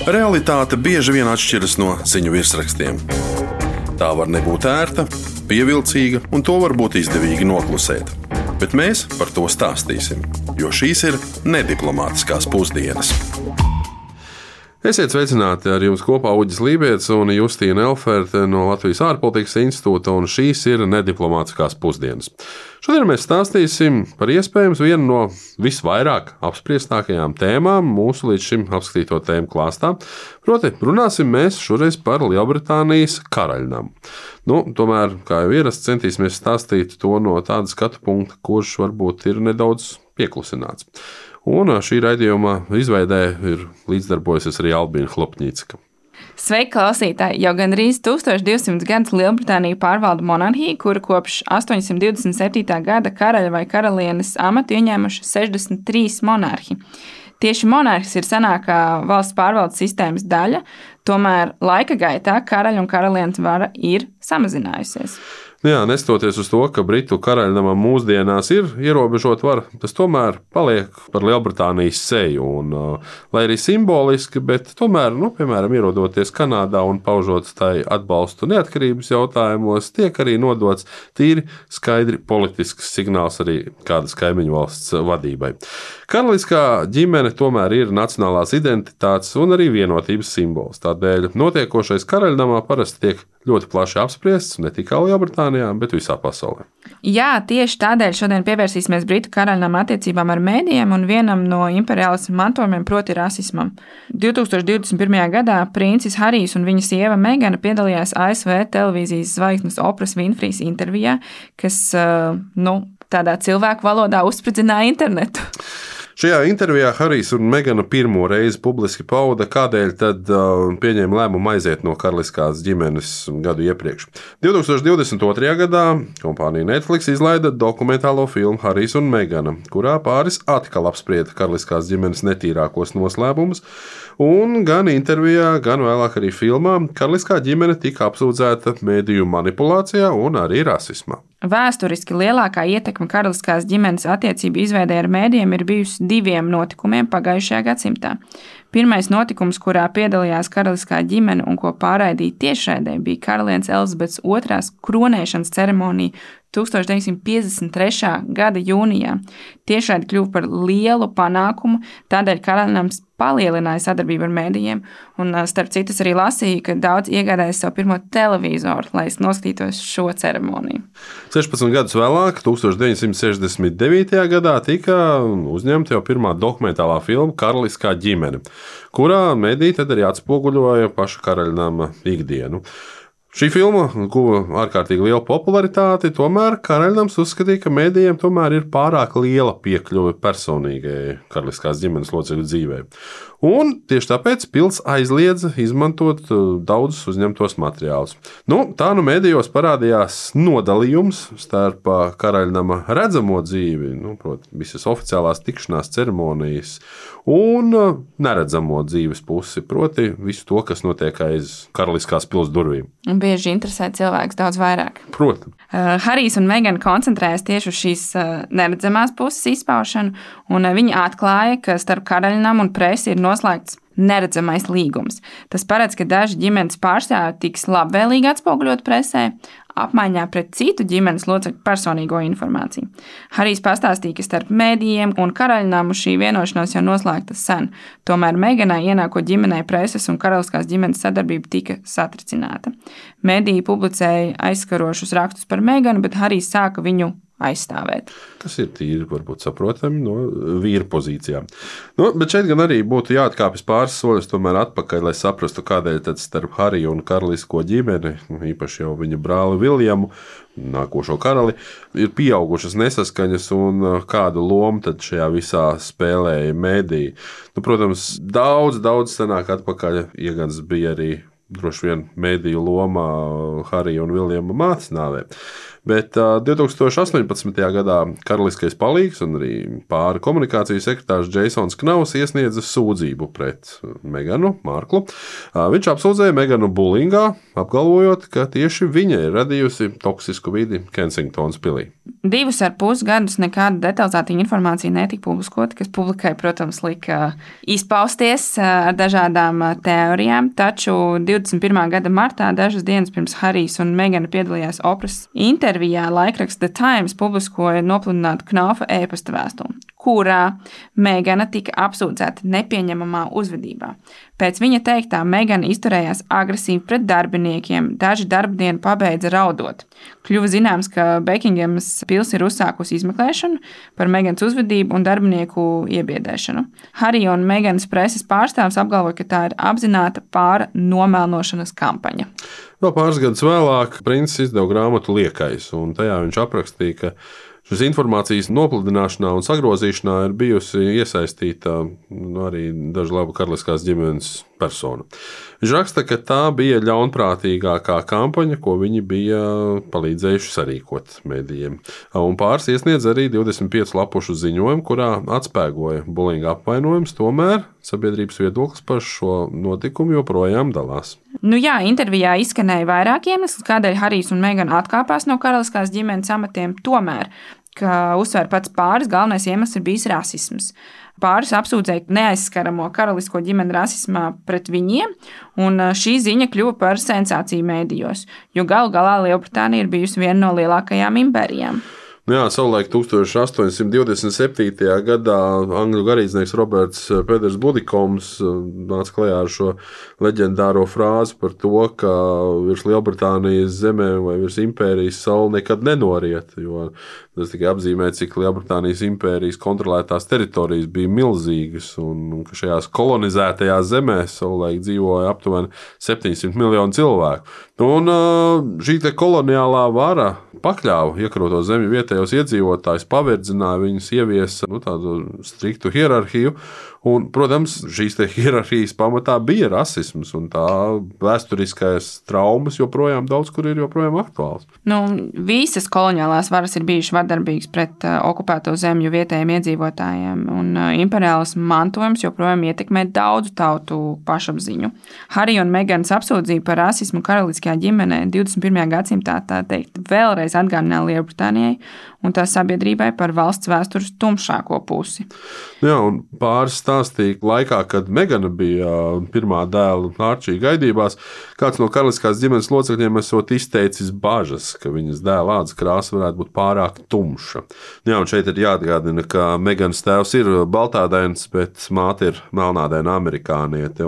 Realitāte bieži vien atšķiras no ziņu virsrakstiem. Tā var nebūt ērta, pievilcīga, un to var būt izdevīgi noklusēt. Bet mēs par to stāstīsim, jo šīs ir nediplomātiskās pusdienas. Esiet sveicināti, ar jums kopā Uģis Lībijams un Justīna Elferte no Latvijas ārpolitikas institūta, un šīs ir nediplomātiskās pusdienas. Šodien mēs stāstīsim par iespējams vienu no visvairāk apspriestākajām tēmām mūsu līdz šim apskatīto tēmu klāstā. Proti, runāsim mēs šoreiz par Lielbritānijas karaļnamu. Tomēr, kā jau ierasts, centīsimies stāstīt to no tāda skatu punkta, kurš varbūt ir nedaudz pieklusināts. Un šī raidījuma izveidē ir līdzdarbojusies arī Albīna Hlopņīcka. Sveiki, klausītāji! Jau gandrīz 1200 gadus Lielbritānija pārvalda monarhiju, kura kopš 827. gada karaļa vai karalienes amatu ieņēmuši 63 monarhi. Tieši monarhis ir senākā valsts pārvaldes sistēmas daļa, tomēr laika gaitā karaļa un karalienes vara ir samazinājusies. Nestoties uz to, ka Britu karaļnamam mūsdienās ir ierobežota vara, tas tomēr paliek par Lielbritānijas seju. Lai arī simboliski, bet tomēr, piemēram, ierodoties Kanādā un paužot tai atbalstu neatkarības jautājumos, tiek arī nodots tīri skaidri politisks signāls arī kādas kaimiņu valsts vadībai. Karaliskā ģimene tomēr ir nacionālās identitātes un arī vienotības simbols. Tādēļ notiekošais karaļnamā parasti tiek ļoti plaši apspriests ne tikai Lielbritānijā, bet visā pasaulē. Jā, tieši tādēļ šodien pievērsīsimies Britu karaļnama attiecībām ar mēdījiem un vienam no imperiālisma mantojumiem, proti rasismam. 2021. gadā princis Harijs un viņa sieva Megana piedalījās ASV televīzijas zvaigznes Opras Winfrīs intervijā, kas, tādā cilvēku valodā uzspridzināja internetu. Šajā intervijā Harijs un Megana pirmo reizi publiski pauda, kādēļ tad pieņēma lēmumu aiziet no karaliskās ģimenes gadu iepriekš. 2022. gadā kompānija Netflix izlaida dokumentālo filmu Harijs un Megana, kurā pāris atkal apsprieda karaliskās ģimenes netīrākos noslēpumus, un gan intervijā, gan vēlāk arī filmā karaliskā ģimene tika apsūdzēta mediju manipulācijā un arī rasismā. Vēsturiski lielākā ietekme karaliskās ģimenes attiecību izveidē ar mēdījiem ir bijusi diviem notikumiem pagājušajā gadsimtā. Pirmais notikums, kurā piedalījās karaliskā ģimene un ko pārraidīja tiešraidē, bija karalienes Elizabetes II kronēšanas ceremonija 1953. gada jūnijā. Tiešraide kļuva par lielu panākumu, tādēļ karaļnams palielināja sadarbību ar mēdījiem, un starp citu arī lasīja, ka daudz iegādājas savu pirmo televizoru, lai noskatītos šo ceremoniju. 16 gadus vēlāk, 1969. gadā, tika uzņemta jau pirmā dokumentālā filma Karaliskā ģimene, kurā mediji tad arī atspoguļoja paša karaļnama ikdienu. Šī filma guva ārkārtīgi lielu popularitāti, tomēr karaļnams uzskatīja, ka medijiem tomēr ir pārāk liela piekļuve personīgai karaliskās ģimenes locekļu dzīvē. Un tieši tāpēc pils aizliedza izmantot daudzus uzņemtos materiālus. Tā medijos parādījās nodalījums starp karaļnama redzamo dzīvi, proti, visas oficiālās tikšanās ceremonijas, un neredzamo dzīves pusi, proti visu to, kas notiek aiz karaliskās pils durvīm. Bieži interesē cilvēks daudz vairāk. Protams. Harijs un Megana koncentrējas tieši uz šīs neredzamās puses izpaušanu, un viņi atklāja, ka starp karaļnamu un presi ir noslēgts neredzamais līgums. Tas paredz, ka daži ģimenes pārstāvji tiks labvēlīgi atspoguļot presē, apmaiņā pret citu ģimenes locekļu personīgo informāciju. Harijs pastāstīja, ka starp mēdījiem un karaļnamu šī vienošanās jau noslēgta sen. Tomēr Meganai ienākot ģimenei preses un karaliskās ģimenes sadarbība tika satricināta. Mēdīji publicēja aizskarošus rakstus par Meganu, bet Harijs sāka viņu aizstāvēt. Tas ir tīri, varbūt saprotami no vīra pozīcijām. Bet šeit gan arī būtu jāatkāpjas pāris soļus tomēr atpakaļ, lai saprastu, kādēļ tad starp Hariju un karalisko ģimeni, īpaši jau viņa brāli Viljamu, nākošo karali, ir pieaugušas nesaskaņas un kādu lomu tad šajā visā spēlēja mēdīji. Protams, daudz senāk atpakaļ iegans bija arī droši vien mēdīju lomā Harija un Viljama mātes nāvē. Bet 2018. gadā karaliskais palīgs un arī pāri komunikācijas sekretārs Jasons Knauss iesniedza sūdzību pret Meganu Marklu. Viņš apsūdzēja Meganu bulingā, apgalvojot, ka tieši viņa ir radījusi toksisku vidi Kensingtonas pilī. 2,5 gadus nekāda detalizēta informācija netika publiskota, kas publikai, protams, lika izpausties ar dažādām teorijām, taču 21. gada martā, dažas dienas pirms Harijs un Megana piedalījās Opras intervijā, laikraksts The Times publiskoja nopludinātu Knaufa e-pasta vēstuli, kurā Megana tika apsūdzēta nepieņemamā uzvedībā. Pēc viņa teiktā Megana izturējās agresīvi pret darbiniekiem, daži darba dienu pabeidza raudot. Kļuva zināms, ka Bekingemas pils ir uzsākusi izmeklēšanu par Meganas uzvedību un darbinieku iebiedēšanu. Harija un Meganas preses pārstāvs apgalvoja, ka tā ir apzināta pāra nomelnošanas kampaņa. Vēl pāris gadus vēlāk princis izdeva grāmatu Liekais, un tajā viņš aprakstīja, ka šīs informācijas nopludināšanā un sagrozīšanā ir bijusi iesaistīta arī dažu labu karaliskās ģimenes personu. Viņš raksta, ka tā bija ļaunprātīgākā kampaņa, ko viņi bija palīdzējuši sarīkot medijiem. Un pāris iesniedz arī 25 lapušu ziņojumu, kurā atspēgoja bulinga apvainojums, tomēr sabiedrības viedoklis par šo notikumu joprojām dalās. Intervijā izskanēja vairāk iemeslu, kādēļ Harijs un Megana atkāpās no karaliskās ģimenes amatiem, tomēr, ka uzsver pats pāris, galvenais iemesls ir bijis rasisms. Pāris apsūdzēja neaizskaramo karalisko ģimeni rasismā pret viņiem, un šī ziņa kļuva par sensāciju mēdījos, jo galu galā Lielbritānija ir bijusi viena no lielākajām impērijām. Savulaik 1827. gadā angļu garīdznieks Roberts Peders Budikoms nāca klajā ar šo leģendāro frāzi par to, ka virs Lielbritānijas zemēm vai virs impērijas saule nekad nenoriet, jo tas tikai apzīmē, cik Lielbritānijas impērijas kontrolētās teritorijas bija milzīgas un ka šajās kolonizētajās zemēs savulaik dzīvoja aptuveni 700 miljonu cilvēku. Un šī koloniālā vara pakļāva iekrauto zemju vietējos iedzīvotājus, paverdzināja viņus, ieviesa tādu striktu hierarhiju. Un, protams, šīs hierarhijas pamatā bija rasisms, un tā vēsturiskais traumas joprojām daudz kur ir joprojām aktuāls. Visas koloniālās varas ir bijušas vardarbīgas pret okupēto zemju vietējiem iedzīvotājiem, un imperiālisma mantojums joprojām ietekmē daudzu tautu pašapziņu. Harija un Meganas apsūdzība par rasismu karaliskajā ģimenē 21. gadsimtā, tā teikt, vēlreiz atgādināja Lielbritānijai un tās sabiedrībai par valsts vēstures tumšāko pusi. Un pāris stāstīja laikā, kad Megana bija pirmā dēla Arčija gaidībās, kāds no karaliskās ģimenes locekļiem esot izteicis bažas, ka viņas dēla ādas krāsa varētu būt pārāk tumša. Un šeit ir jāatgādina, ka Meganas tēvs ir baltādains, bet māte ir melnādaina amerikāniete.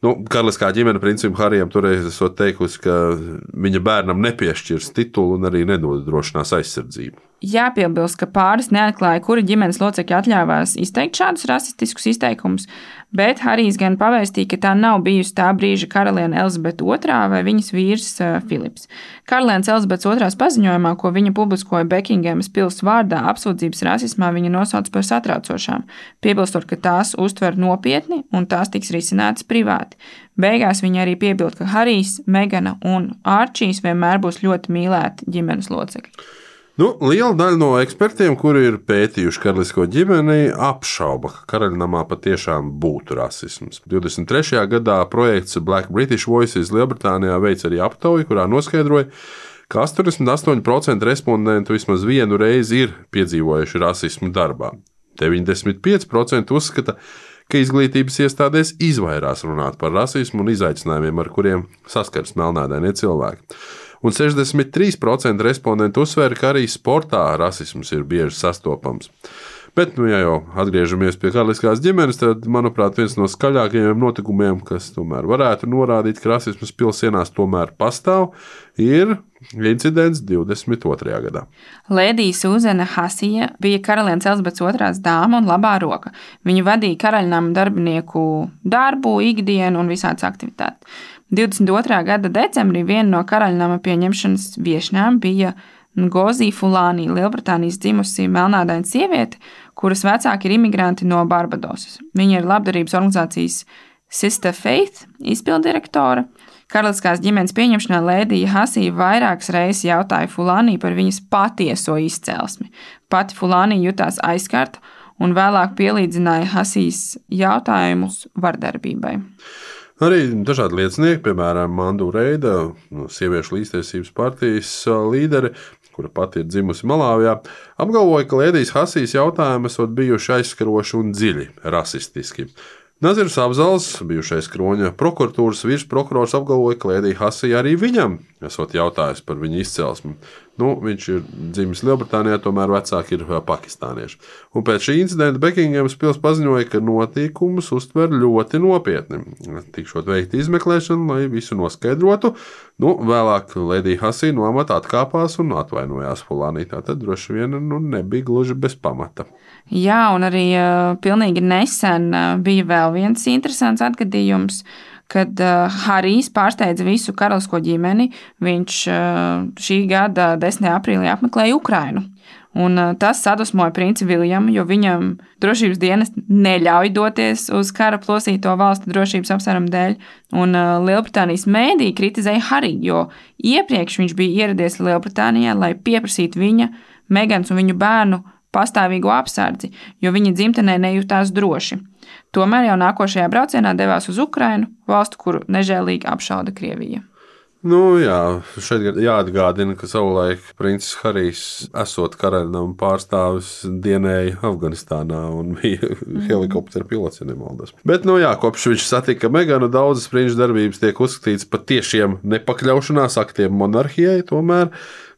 Karaliskā ģimene principā Harijam toreiz esot teikusi, ka viņa bērnam nepiešķirs titulu un arī nenodrošinās aizsardzību. Jāpiebilst, ka pāris neatklāja, kuri ģimenes locekļi atļāvās izteikt šādus rasistiskus izteikumus, bet Harijs gan pavēstīja, ka tā nav bijusi tā brīža karaliene Elizabete II vai viņas vīrs Filips. Karalienes Elizabetes II paziņojumā, ko viņa publiskoja Bekingemas pils vārdā, apsūdzības rasismā viņa nosauca par satraucošām, piebilstot, ka tās uztver nopietni un tās tiks risinātas privāti. Beigās viņa arī piebilda, ka Harijs, Megana un Arčijs vienmēr būs ļoti mīlēti ģimenes locekļi. Liela daļa no ekspertiem, kuri ir pētījuši karalisko ģimeni, apšauba, ka karaļnamā patiešām būtu rasisms. 23. gadā projekts Black British Voices Lielbritānijā veica arī aptauju, kurā noskaidroja, ka 88% respondentu vismaz vienu reizi ir piedzīvojuši rasismu darbā. 95% uzskata, ka izglītības iestādēs izvairās runāt par rasismu un izaicinājumiem, ar kuriem saskars melnādainie cilvēki. Un 63% respondentu uzsvēra, ka arī sportā rasisms ir bieži sastopams. Bet, ja jau atgriežamies pie karaliskās ģimenes, tad, manuprāt, viens no skaļākajiem notikumiem, kas tomēr varētu norādīt, ka rasisms pilsēnās tomēr pastāv, ir incidents 22. gadā. Lēdija Sūzana Hasija bija karalienes Elizabetes II dāma un labā roka. Viņa vadīja karaļnama darbinieku darbu, ikdienu un visādas aktivitātes. 22. gada decembrī viena no karaļnama pieņemšanas viešņām bija Ngozi Fulani, Lielbritānijas dzimusi melnādaina sieviete, kuras vecāki ir imigranti no Barbadosas. Viņa ir labdarības organizācijas Sister Faith izpilddirektore, Karaliskās ģimenes pieņemšanā Lēdija Hasija vairākas reizes jautāja Fulānī par viņas patieso izcelsmi. Pati Fulānī jutās aizskarta un vēlāk pielīdzināja Hasijas jautājumus vardarbībai. Arī dažādi liecinieki, piemēram, Mandu Reida, sieviešu līdztiesības partijas līderi, kura pati ir dzimusi Malāvijā, apgalvoja, ka Lēdijas Hasijas jautājumi esot bijuši aizskaroši un dziļi rasistiski. Nazirs Abzals, bijušais Kroņa prokuratūras virsprokurors, apgalvoja, ka Lēdija Hasija arī viņam esot jautājis par viņa izcelsmi. Viņš ir dzimis Lielbritānijā, tomēr vecāki ir pakistānieši. Un pēc šī incidenta Bekingemas pils paziņoja, ka notikumus uztver ļoti nopietni. Tikšot veikta izmeklēšana, lai visu noskaidrotu. Vēlāk Lēdija Hasija no amata atkāpās un atvainojās Fulānī. Tātad droši vien nebija gluži bez pamata. Jā, un arī pilnīgi nesen bija vēl viens interesants atgadījums, kad Harijs pārsteidza visu karalisko ģimeni. Viņš šī gada 10. aprīlī apmeklēja Ukrainu. Un tas sadusmoja princi Viljamu, jo viņam drošības dienesti neļauj doties uz kara plosīto valstu drošības apsvērumu dēļ. Un Lielbritānijas mēdī kritizēja Hariju, jo iepriekš viņš bija ieradies Lielbritānijā, lai pieprasītu viņa, Megans un viņu bērnu pastāvīgo apsardzi, jo viņa dzimtenē nejūtās droši. Tomēr jau nākošajā braucienā devās uz Ukrainu, valstu, kuru nežēlīgi apšauda Krievija. Šeit jāatgādina, ka savulaik princis Harijs, esot karaļnama pārstāvis, dienēja Afganistānā un bija helikoptera pilots, ja nemaldos. Bet, kopš viņš satika Meganu, daudzas prinču darbības tiek uzskatītas par tiešiem nepakļaušanās aktiem monarhijai, tomēr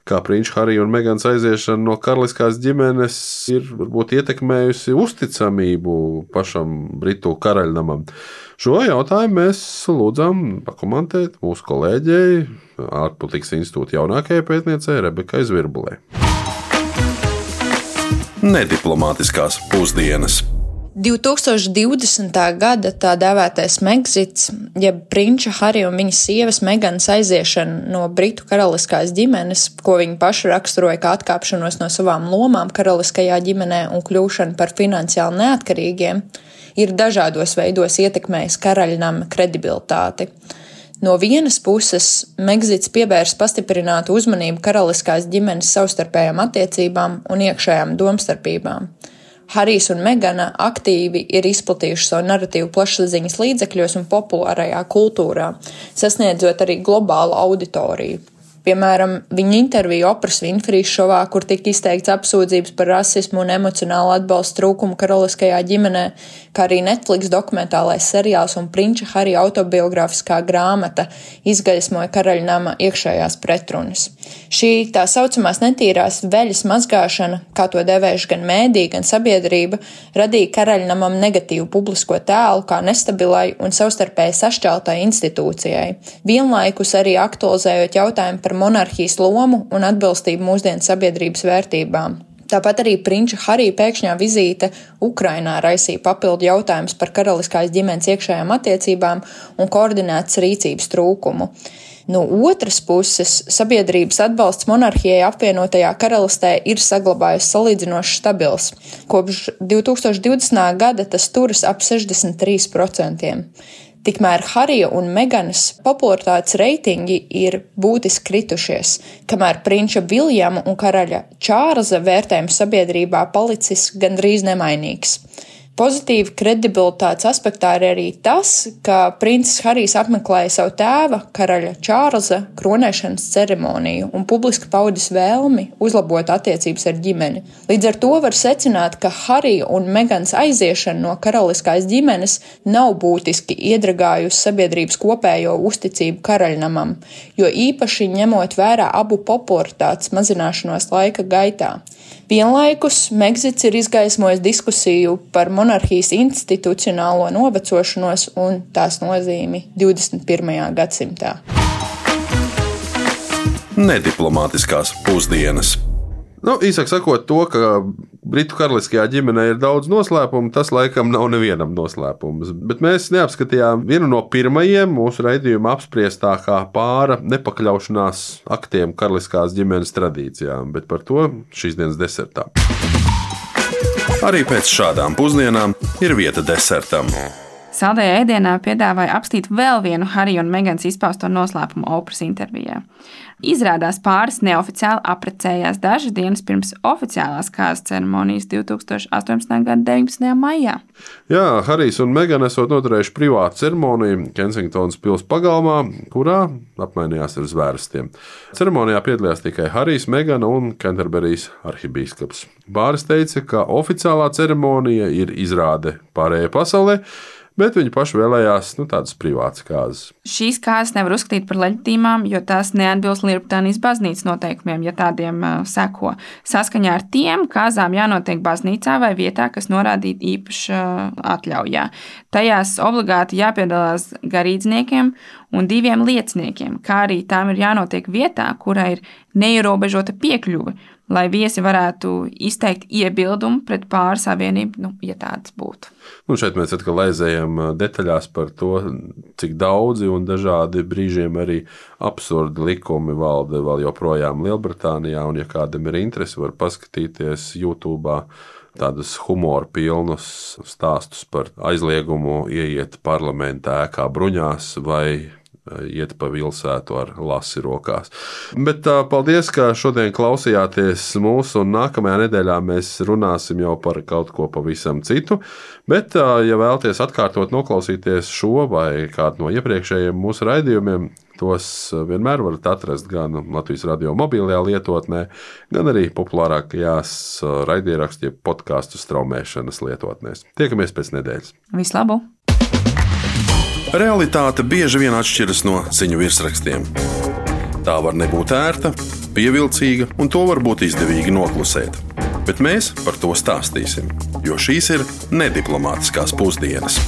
kā prinču Harija un Megans aiziešana no karaliskās ģimenes ir varbūt ietekmējusi uzticamību pašam Britu karaļnamam. Šo jautājumu mēs lūdzām pakomentēt mūsu kolēģei, ārpolitikas institūta jaunākajai pētniecei Rebekai Zvirbulei. Nediplomātiskās pusdienas. 2020. gada tā dēvētais Megzits, jeb prinča Harija un viņa sievas Meganas aiziešana no Britu karaliskās ģimenes, ko viņi paši raksturoja kā atkāpšanos no savām lomām karaliskajā ģimenē un kļūšanu par finansiāli neatkarīgiem, ir dažādos veidos ietekmējis karaļnama kredibilitāti. No vienas puses, Megzits pievērs pastiprinātu uzmanību karaliskās ģimenes savstarpējām attiecībām un iekšējām domstarpībām. Harijs un Megana aktīvi ir izplatījuši savu naratīvu plašsaziņas līdzekļos un populārajā kultūrā, sasniedzot arī globālu auditoriju. Piemēram, viņa intervija Opras Winfrīs šovā, kur tika izteikts apsūdzības par rasismu un emocionālu atbalstu trūkumu karaliskajā ģimenē, kā arī Netflix dokumentālais seriāls un prinča Harija autobiogrāfiskā grāmata izgaismoja karaļnama iekšējās pretrunas. Šī tā saucamās netīrās veļas mazgāšana, kā to devējuši gan mēdī, gan sabiedrība, radīja karaļnamam negatīvu publisko tēlu kā nestabilai un savstarpēji sašķeltai institūcijai, vienlaikus arī aktualizējot jautājumu par monarhijas lomu un atbilstību mūsdienu sabiedrības vērtībām. Tāpat arī prinča Harija pēkšņā vizīte Ukrainā raisīja papildu jautājumus par karaliskās ģimenes iekšējām attiecībām un koordinētas rīcības trūkumu. No otras puses, sabiedrības atbalsts monarhijai apvienotajā karalistē ir saglabājies salīdzinoši stabils. Kopš 2020. gada tas turas ap 63%. Tikmēr Harija un Meganas popularitātes reitingi ir būtiski kritušies, kamēr prinča Viljama un karaļa Čārlza vērtējums sabiedrībā palicis gandrīz nemainīgs. Pozitīvi kredibilitātes aspektā ir arī tas, ka princis Harijs apmeklēja savu tēva, karaļa Čārlza, kronēšanas ceremoniju un publiski paudis vēlmi uzlabot attiecības ar ģimeni. Līdz ar to var secināt, ka Harija un Megans aiziešana no karaliskās ģimenes nav būtiski iedragājusi sabiedrības kopējo uzticību karaļnamam, jo īpaši ņemot vērā abu popularitātes mazināšanos laika gaitā. Vienlaikus Megzits ir izgaismojis diskusiju par monarhijas institucionālo novecošanos un tās nozīmi 21. gadsimtā. Nediplomātiskās pusdienas. Īsāk sakot, to, ka Britu karaliskajā ģimenē ir daudz noslēpumu, tas laikam nav nevienam noslēpums. Bet mēs neapskatījām vienu no pirmajiem mūsu raidījuma apspriestākā pāra nepakļaušanās aktiem karaliskās ģimenes tradīcijām, bet par to šīs dienas desertā. Arī pēc šādām pusdienām ir vieta desertam. Saldējā ēdienā piedāvāja apstīt vēl vienu Harija un Meganas izpausto noslēpumu Oprahs intervijā. Izrādās pāris neoficiāli apprecējās dažas dienas pirms oficiālās kārtas ceremonijas 2018. gada 19. maijā. Jā, Harijs un Megana esot noturējuši privātu ceremoniju Kensingtonas pils pagalmā, kurā apmainījās ar zvērstiem. Ceremonijā piedalījās tikai Harijs, Megana un Kenterberijas arhibīskaps. Pāris teica, ka oficiālā ceremonija ir izrāde pārējai pasaulē, bet viņi paši vēlējās tādas privātas kāzas. Šīs kāzas nevar uzskatīt par leģitīmām, jo tās neatbilst Lielbritānijas baznīcas noteikumiem, ja tādiem seko. Saskaņā ar tiem kāzām jānotiek baznīcā vai vietā, kas norādīta īpaša atļaujā. Tajās obligāti jāpiedalās garīdzniekiem un 2 lieciniekiem, kā arī tām ir jānotiek vietā, kurā ir neierobežota piekļuve, lai viesi varētu izteikt iebildumu pret pāri savienību, ja tāds būtu. Šeit mēs atkal aizējam detaļās par to, cik daudzi un dažādi brīžiem arī absurdi likumi valda vēl joprojām Lielbritānijā, un ja kādam ir interesi, var paskatīties YouTube tādus humoru pilnus stāstus par aizliegumu ieiet parlamentā ēkā bruņās vai iet pa pilsētu ar lasi rokās. Bet paldies, ka šodien klausījāties mūsu, un nākamajā nedēļā mēs runāsim jau par kaut ko pavisam citu. Bet, ja vēlaties atkārtot noklausīties šo vai kādu no iepriekšējiem mūsu raidījumiem, tos vienmēr varat atrast gan Latvijas radio mobilajā lietotnē, gan arī populārākajās raidierakstu podcastu straumēšanas lietotnēs. Tiekamies pēc nedēļas. Vislabāk! Realitāte bieži vien atšķiras no ziņu virsrakstiem. Tā var nebūt ērta, pievilcīga, un to var būt izdevīgi noklusēt. Bet mēs par to stāstīsim, jo šīs ir nediplomātiskās pusdienas.